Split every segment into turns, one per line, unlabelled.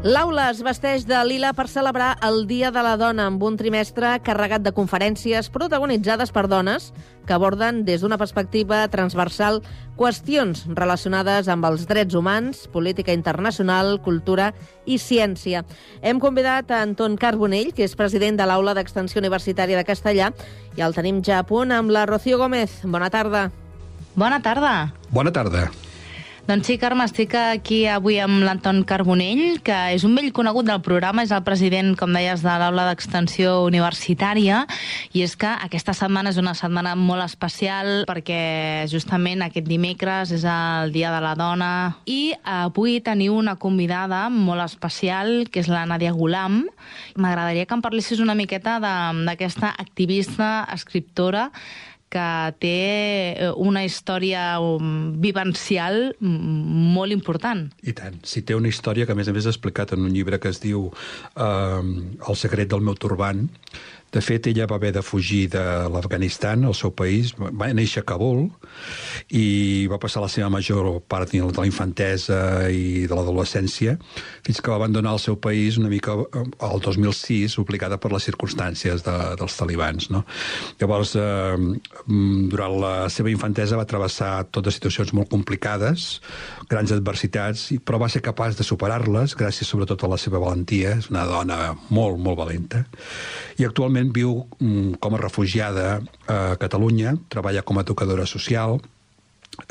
L'aula es vesteix de lila per celebrar el Dia de la Dona amb un trimestre carregat de conferències protagonitzades per dones que aborden des d'una perspectiva transversal qüestions relacionades amb els drets humans, política internacional, cultura i ciència. Hem convidat a Anton Carbonell, que és president de l'Aula d'Extensió Universitària de Castellà, i el tenim ja a punt amb la Rocío Gómez. Bona tarda.
Bona tarda.
Bona tarda.
Doncs sí, Carme, estic aquí avui amb l'Anton Carbonell, que és un vell conegut del programa, és el president, com deies, de l'Aula d'Extensió Universitària, i és que aquesta setmana és una setmana molt especial perquè justament aquest dimecres és el Dia de la Dona i avui teniu una convidada molt especial, que és la Nadia Ghulam. M'agradaria que em parlessis una miqueta d'aquesta activista, escriptora, que té una història vivencial molt important.
I tant. Sí, té una història que, a més he explicat en un llibre que es diu El secret del meu turbant. De fet, ella va haver de fugir de l'Afganistan, el seu país. Va néixer a Kabul i va passar la seva major part de la infantesa i de l'adolescència fins que va abandonar el seu país una mica al 2006, obligada per les circumstàncies dels talibans. No? Llavors, durant la seva infantesa va travessar totes situacions molt complicades, grans adversitats, però va ser capaç de superar-les gràcies sobretot a la seva valentia. És una dona molt, molt valenta. I actualment viu com a refugiada a Catalunya, treballa com a educadora social,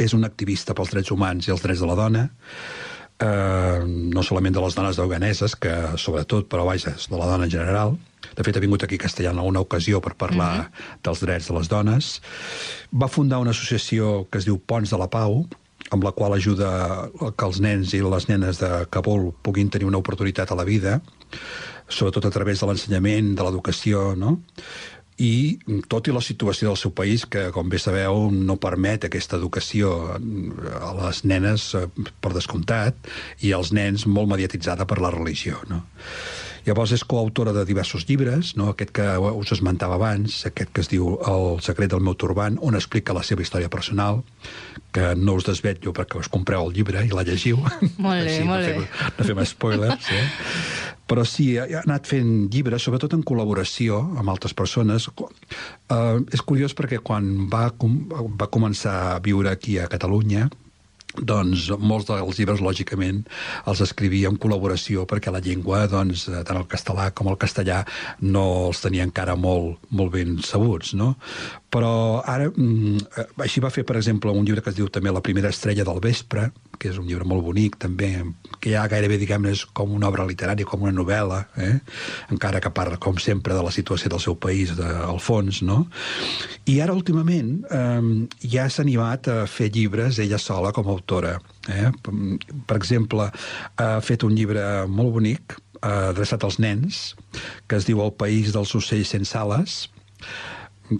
és una activista pels drets humans i els drets de la dona, no solament de les dones afganeses, que sobretot, però vaja, de la dona en general. De fet, ha vingut aquí a Castellà en alguna ocasió per parlar dels drets de les dones. Va fundar una associació que es diu Ponts de la Pau, amb la qual ajuda que els nens i les nenes de Kabul puguin tenir una oportunitat a la vida, sobretot a través de l'ensenyament, de l'educació, no? I tot i la situació del seu país, que, com bé sabeu, no permet aquesta educació a les nenes, per descomptat, i als nens molt mediatitzada per la religió, no? Llavors és coautora de diversos llibres, no? Aquest que us esmentava abans, aquest que es diu El secret del meu turbant, on explica la seva història personal, que no us desvetllo perquè us compreu el llibre i la llegiu.
Molt bé, molt bé.
No fem spoilers, Però sí, ha anat fent llibres, sobretot en col·laboració amb altres persones. És curiós perquè quan va començar a viure aquí a Catalunya, doncs molts dels llibres, lògicament, els escrivia en col·laboració perquè la llengua, doncs, tant el català com el castellà, no els tenia encara molt, molt ben sabuts, no? Però ara, així va fer, per exemple, un llibre que es diu també La primera estrella del vespre, que és un llibre molt bonic, també, que ja gairebé, diguem-ne, és com una obra literària, com una novel·la, encara que parla, com sempre, de la situació del seu país, al fons, no? I ara, últimament, ja s'ha animat a fer llibres ella sola com a autora. Per exemple, ha fet un llibre molt bonic, adreçat als nens, que es diu El país dels ocells sense ales.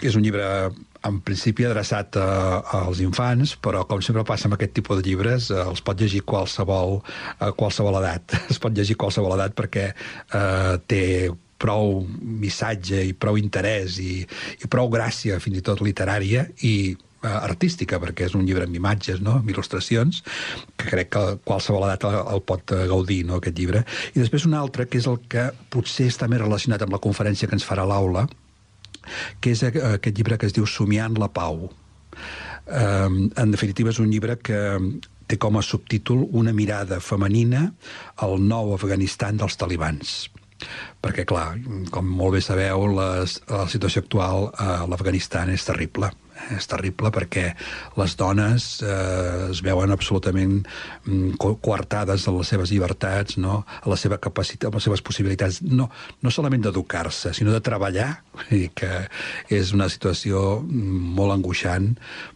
És un llibre, en principi, adreçat als infants, però, com sempre passa amb aquest tipus de llibres, els pot llegir qualsevol edat. Es pot llegir qualsevol edat perquè té prou missatge i prou interès i prou gràcia, fins i tot literària, i artística, perquè és un llibre amb imatges, no? Amb il·lustracions, que crec que qualsevol edat el pot gaudir, no? Aquest llibre. I després un altre, que és el que potser està més relacionat amb la conferència que ens farà l'aula, que és aquest llibre que es diu Somiant la pau. En definitiva, és un llibre que té com a subtítol Una mirada femenina al nou Afganistan dels talibans. Perquè, clar, com molt bé sabeu, la situació actual a l'Afganistan és terrible. És terrible perquè les dones es veuen absolutament coartades en les seves llibertats, no? A la seva capacitat, a les seves possibilitats, no solament d'educar-se, sinó de treballar, i que és una situació molt angoixant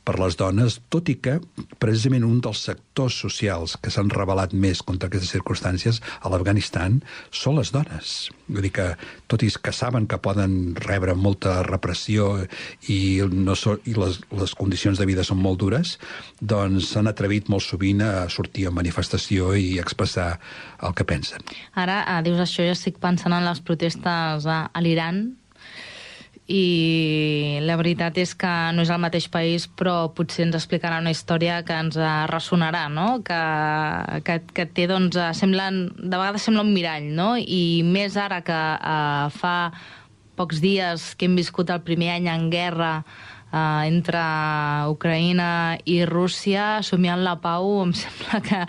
per les dones, tot i que precisament un dels sectors socials que s'han rebel·lat més contra aquestes circumstàncies a l'Afganistan són les dones. Vull dir que, tot i que saben que poden rebre molta repressió i les condicions de vida són molt dures, doncs s'han atrevit molt sovint a sortir en manifestació i expressar el que pensen.
Ara, dius això, jo estic pensant en les protestes a l'Iran, i la veritat és que no és el mateix país, però potser ens explicarà una història que ens ressonarà, no? Que té, doncs, de vegades sembla un mirall, no? I més ara que fa pocs dies que hem viscut el primer any en guerra entre Ucraïna i Rússia, somiant la pau, em sembla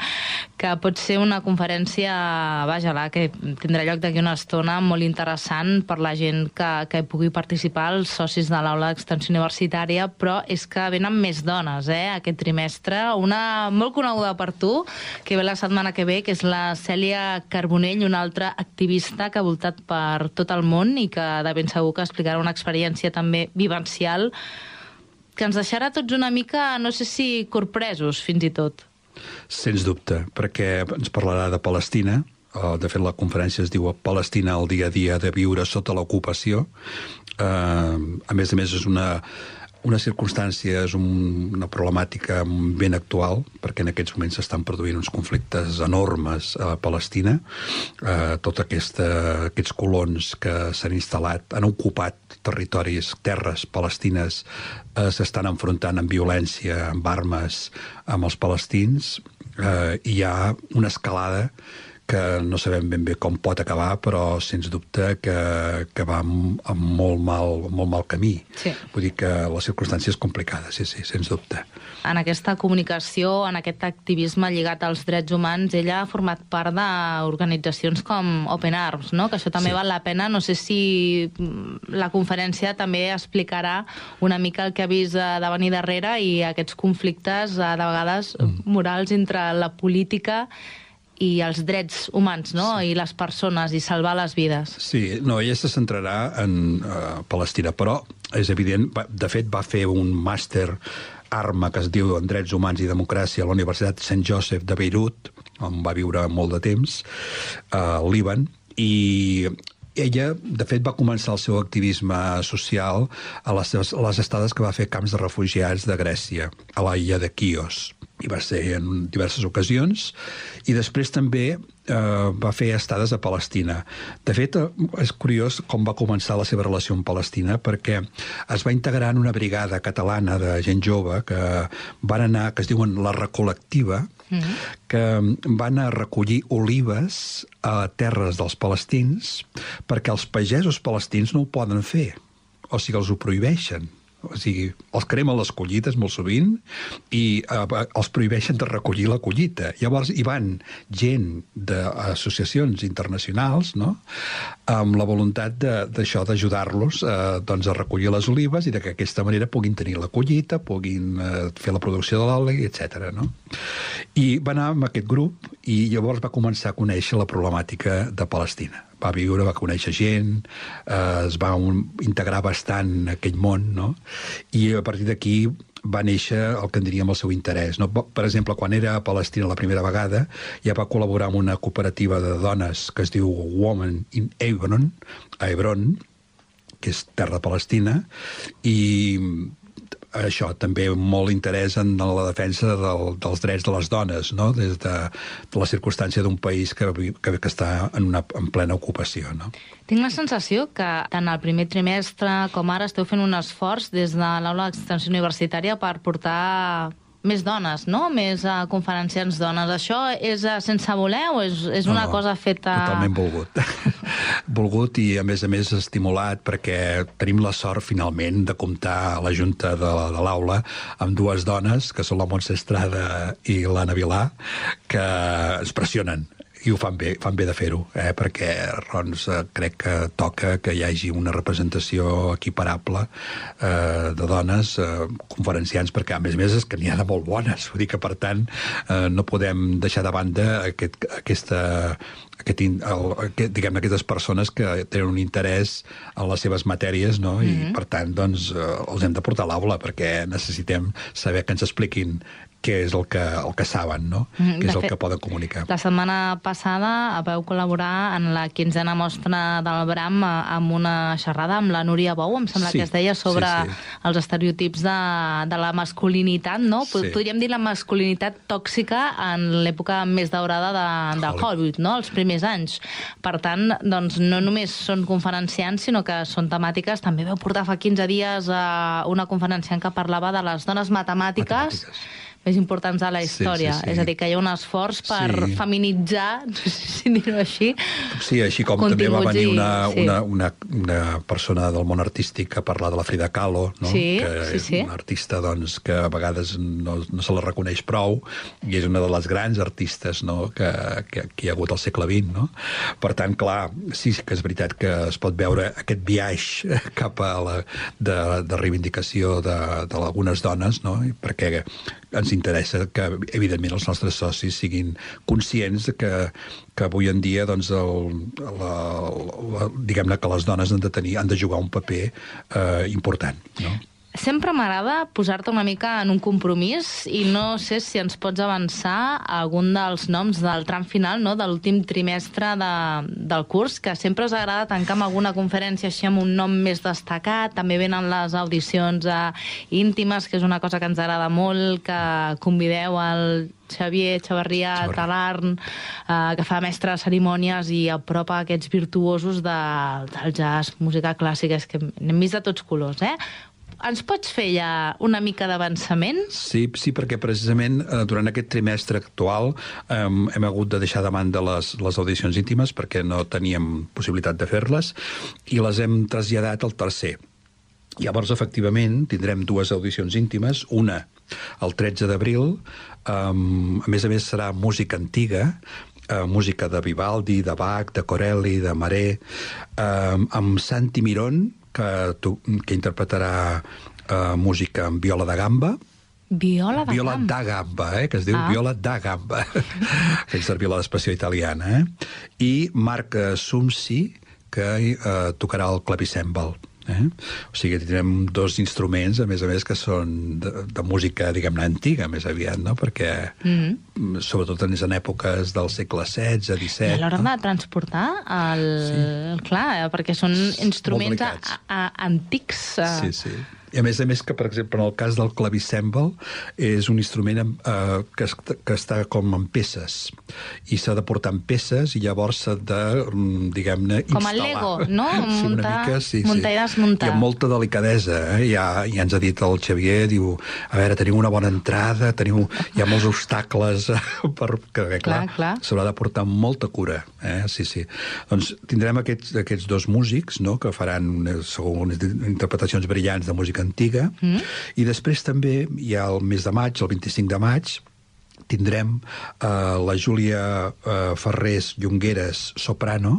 que pot ser una conferència, que tindrà lloc d'aquí una estona, molt interessant per la gent que hi pugui participar, els socis de l'aula d'extensió universitària, però és que venen més dones, aquest trimestre. Una molt coneguda per tu, que ve la setmana que ve, que és la Cèlia Carbonell, una altra activista que ha voltat per tot el món i que de ben segur que explicarà una experiència també vivencial que ens deixarà tots una mica, no sé si corpresos, fins i tot.
Sens dubte, perquè ens parlarà de Palestina. De fet, la conferència es diu Palestina, el dia a dia de viure sota l'ocupació. A més, és una circumstància, és una problemàtica ben actual, perquè en aquests moments s'estan produint uns conflictes enormes a Palestina. Tots aquests colons que s'han instal·lat, han ocupat territoris, terres palestines, s'estan enfrontant amb violència, amb armes, amb els palestins. Hi ha una escalada que no sabem ben bé com pot acabar, però sens dubte que va amb molt mal camí.
Sí.
Vull dir que la circumstància és complicada, sí, sens dubte.
En aquesta comunicació, en aquest activisme lligat als drets humans, ella ha format part d'organitzacions com Open Arms, no? Que això també val la pena. No sé si la conferència també explicarà una mica el que ha vist de venir darrere i aquests conflictes, de vegades, morals entre la política i els drets humans, no? I les persones, i salvar les vides.
Sí, no, ella se centrarà en Palestina, però és evident, de fet va fer un màster ARMA, que es diu en Drets Humans i Democràcia, a la Universitat Saint Joseph de Beirut, on va viure molt de temps, al Líban, i ella, de fet, va començar el seu activisme social a les estades que va fer camps de refugiats de Grècia, a l'illa de Quios. I va ser en diverses ocasions, i després també va fer estades a Palestina. De fet, és curiós com va començar la seva relació amb Palestina, perquè es va integrar en una brigada catalana de gent jove que van anar, que es diuen la Recol·lectiva, que van a recollir olives a terres dels palestins perquè els pagesos palestins no ho poden fer, o sigui, els ho prohibeixen. O sigui, els cremen les collites molt sovint i els prohibeixen de recollir la collita. Llavors hi van gent d'associacions internacionals, no?, amb la voluntat d'això, d'ajudar-los doncs a recollir les olives i que d'aquesta manera puguin tenir la collita, puguin fer la producció de l'oli, etc. No? I va anar amb aquest grup i llavors va començar a conèixer la problemàtica de Palestina. Va viure, va conèixer gent, es va integrar bastant en aquell món, no? I a partir d'aquí va néixer el que en diríem el seu interès. No? Per exemple, quan era a Palestina la primera vegada, ja va col·laborar amb una cooperativa de dones que es diu Women in Hebron, a Hebron, que és terra palestina, i això també molt interès en la defensa dels drets de les dones, no? Des de la circumstància d'un país que està en plena ocupació. No?
Tinc la sensació que tant el primer trimestre com ara esteu fent un esforç des de l'aula d'extensió universitària per portar més dones, no? Més conferenciants dones. Això és sense voler o és una cosa feta...
Totalment volgut. Volgut i, a més estimulat, perquè tenim la sort, finalment, de comptar a la Junta de l'aula amb dues dones, que són la Montse Estrada i l'Anna Vilà, que ens pressionen. I ho fan bé de fer-ho, perquè doncs, crec que toca que hi hagi una representació equiparable de dones conferenciants, perquè a més és que n'hi ha de molt bones, vull dir que per tant no podem deixar de banda aquestes persones que tenen un interès en les seves matèries, no? I per tant doncs els hem de portar a l'aula perquè necessitem saber que ens expliquin què és el que saben, no? Què és el que poden comunicar.
La setmana passada vau col·laborar en la 15a mostra del Bram amb una xerrada amb la Núria Bou, em sembla que es deia, sobre els estereotips de la masculinitat, no? Podríem dir la masculinitat tòxica en l'època més daurada de Hollywood, no? Els primers anys. Per tant, doncs, no només són conferenciants, sinó que són temàtiques. També vau portar fa 15 dies una conferenciant que parlava de les dones matemàtiques més importants de la història. És a dir, que hi ha un esforç per feminitzar, no sé si dir-ho així.
Sí, així com també va venir una persona del món artístic a parlar de la Frida Kahlo, no? Que és una artista que a vegades no se la reconeix prou, i és una de les grans artistes que hi ha hagut al segle XX, no? Per tant, clar, sí que és veritat que es pot veure aquest viatge cap a de reivindicació d'algunes dones, no? Perquè ens interessa que, evidentment, els nostres socis siguin conscients que avui en dia, doncs, diguem-ne que les dones han de jugar un paper important, no?
Sempre m'agrada posar-te una mica en un compromís i no sé si ens pots avançar algun dels noms del tram final, no?, de l'últim trimestre del curs, que sempre us agrada tancar amb alguna conferència així amb un nom més destacat. També venen les audicions íntimes, que és una cosa que ens agrada molt, que convideu al Xavier Chavarria Talarn, que fa mestre de cerimònies i apropa aquests virtuosos del jazz, música clàssica. És que n'hem vist de tots colors, Ens pots fer ja una mica d'avançament? Sí,
perquè precisament durant aquest trimestre actual hem hagut de deixar de banda les audicions íntimes perquè no teníem possibilitat de fer-les i les hem traslladat al tercer. Llavors, efectivament, tindrem 2 audicions íntimes, una el 13 d'abril, a més serà música antiga, música de Vivaldi, de Bach, de Corelli, de Maré, amb Santi Mirón, que interpretarà música amb viola da gamba.
Viola
da gamba, que es diu viola da gamba, fent servir l'expressió italiana. I Marc Sumsi, que tocarà el clavicèmbal. O sigui, tindrem 2 instruments, a més, que són de música, diguem-ne, antiga, més aviat, no? Perquè, sobretot en èpoques del segle XVI, XVII...
I a l'hora de transportar, clar, perquè són instruments antics.
Sí. I a més que, per exemple, en el cas del clavicèmbal, és un instrument que està com en peces. I s'ha de portar en peces i llavors s'ha de, diguem-ne, instal·lar.
Com el Lego, no? Muntar i desmuntar.
I amb molta delicadesa. Ja ens ha dit el Xavier, diu, a veure, teniu una bona entrada, hi ha molts obstacles, perquè, clar, s'haurà de portar amb molta cura. Sí. Doncs tindrem aquests 2 músics, no?, que faran unes interpretacions brillants de música antiga, i després també hi ha el mes de maig, el 25 de maig, tindrem la Júlia Ferrés Llongueres, soprano,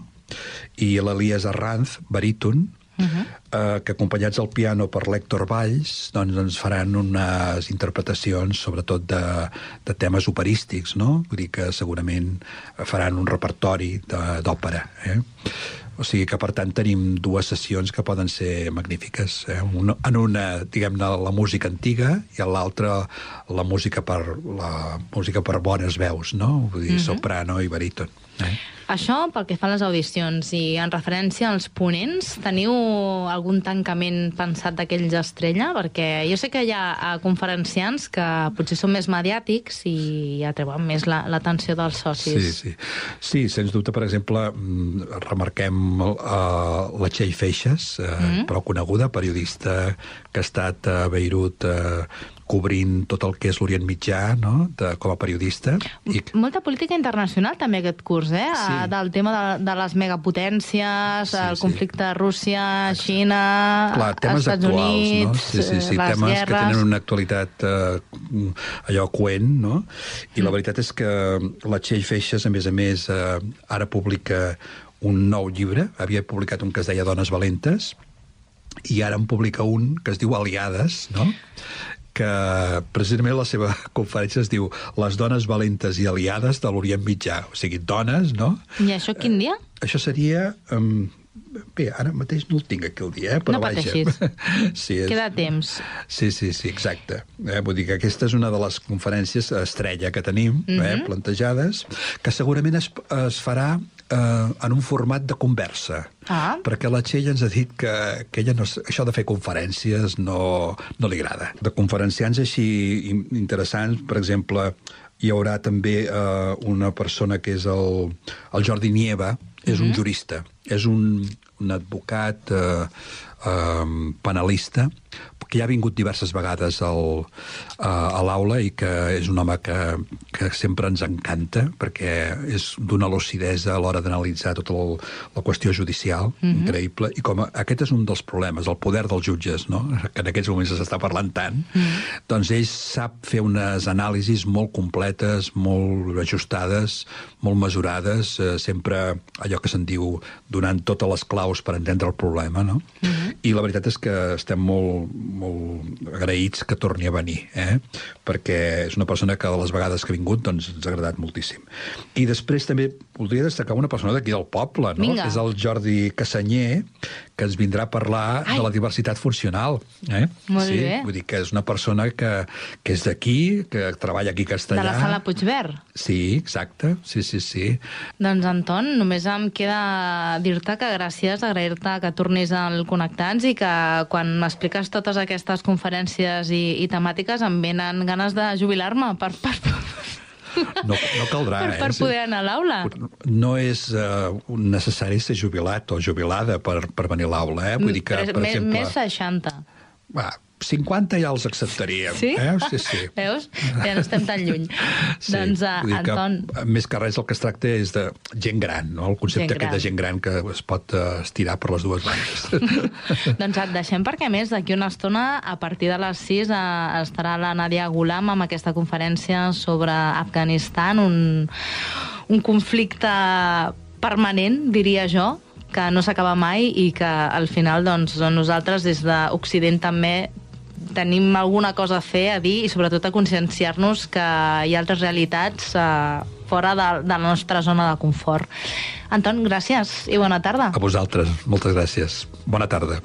i l'Elias Arranz, baríton, que acompanyats al piano per l'Héctor Valls, doncs ens faran unes interpretacions sobretot de temes operístics, no? Vull dir que segurament faran un repertori d'òpera, O sigui que, per tant, tenim 2 sessions que poden ser magnífiques. En una, diguem-ne, la música antiga i en l'altra la música per bones veus, no? Vull dir, soprano i baríton.
Això pel que fa a les audicions, i en referència als ponents, teniu algun tancament pensat d'aquells estrella? Perquè jo sé que hi ha conferenciants que potser són més mediàtics i atreuen més l'atenció dels socis.
Sí, sens dubte, per exemple, remarquem la Txell Feixas, prou coneguda, periodista que ha estat a Beirut cobrint tot el que és l'Orient Mitjà, no?, com a periodista.
Molta política internacional també aquest curs, del tema de les megapotències, el conflicte Rússia, Xina, Estats Units, les
temes
guerres...
que tenen una actualitat allò coent, no? I la veritat és que la Txell Feixas, a més, ara publica un nou llibre, havia publicat un que es deia Dones valentes, i ara en publica un que es diu Aliades, no?, que precisament la seva conferència es diu Les dones valentes i aliades de l'Orient Mitjà. O sigui, dones, no?
I això quin dia?
Això seria Bé, ara mateix no el tinc aquí el dia, però
no pateixis.
Sí,
queda temps.
Sí, exacte. Vull dir que aquesta és una de les conferències estrella que tenim, plantejades, que segurament es farà en un format de conversa. Perquè la Txell ens ha dit que ella això de fer conferències no li agrada. De conferenciants així interessants, per exemple, hi haurà també una persona que és el Jordi Nieva, és un jurista, és un advocat penalista, que ja ha vingut diverses vegades a l'aula i que és un home que sempre ens encanta, perquè és d'una lucidesa a l'hora d'analitzar tota la qüestió judicial, increïble, i com aquest és un dels problemes, el poder dels jutges, no? Que en aquests moments s'està parlant tant, doncs ell sap fer unes anàlisis molt completes, molt ajustades, molt mesurades, sempre allò que se'n diu donant totes les claus per entendre el problema, no? I la veritat és que estem molt agraïts que torni a venir, perquè és una persona que de les vegades que ha vingut doncs ens ha agradat moltíssim. I després també voldria destacar una persona d'aquí del poble, no? És el Jordi Cassanyer, que ens vindrà a parlar de la diversitat funcional.
Molt bé.
Vull dir que és una persona que és d'aquí, que treballa aquí a Castellà.
De la Sala Puigverd.
Sí, exacte. Sí.
Doncs, Anton, només em queda dir-te que gràcies, agrair-te que tornis al Connectats i que quan m'expliques totes aquestes conferències i temàtiques em venen ganes de jubilar-me
No caldrà,
per poder anar a l'aula.
No és necessari ser jubilat o jubilada per venir a l'aula, Vull dir que, per exemple...
Més 60.
50 ja els acceptaríem.
Sí?
Sí.
Veus? Ja no estem tan lluny.
Sí.
Doncs, Anton...
Més que res el que es tracta és de gent gran, no? El concepte aquest de gent gran que es pot estirar per les dues bandes.
Doncs et deixem perquè, a més, d'aquí una estona, a partir de les 6, estarà la Nadia Ghulam amb aquesta conferència sobre Afganistan, un conflicte permanent, diria jo, que no s'acaba mai i que al final doncs, nosaltres des d'Occident també tenim alguna cosa a fer, a dir i sobretot a conscienciar-nos que hi ha altres realitats fora de la nostra zona de confort. Anton, gràcies i bona tarda.
A vosaltres, moltes gràcies. Bona tarda.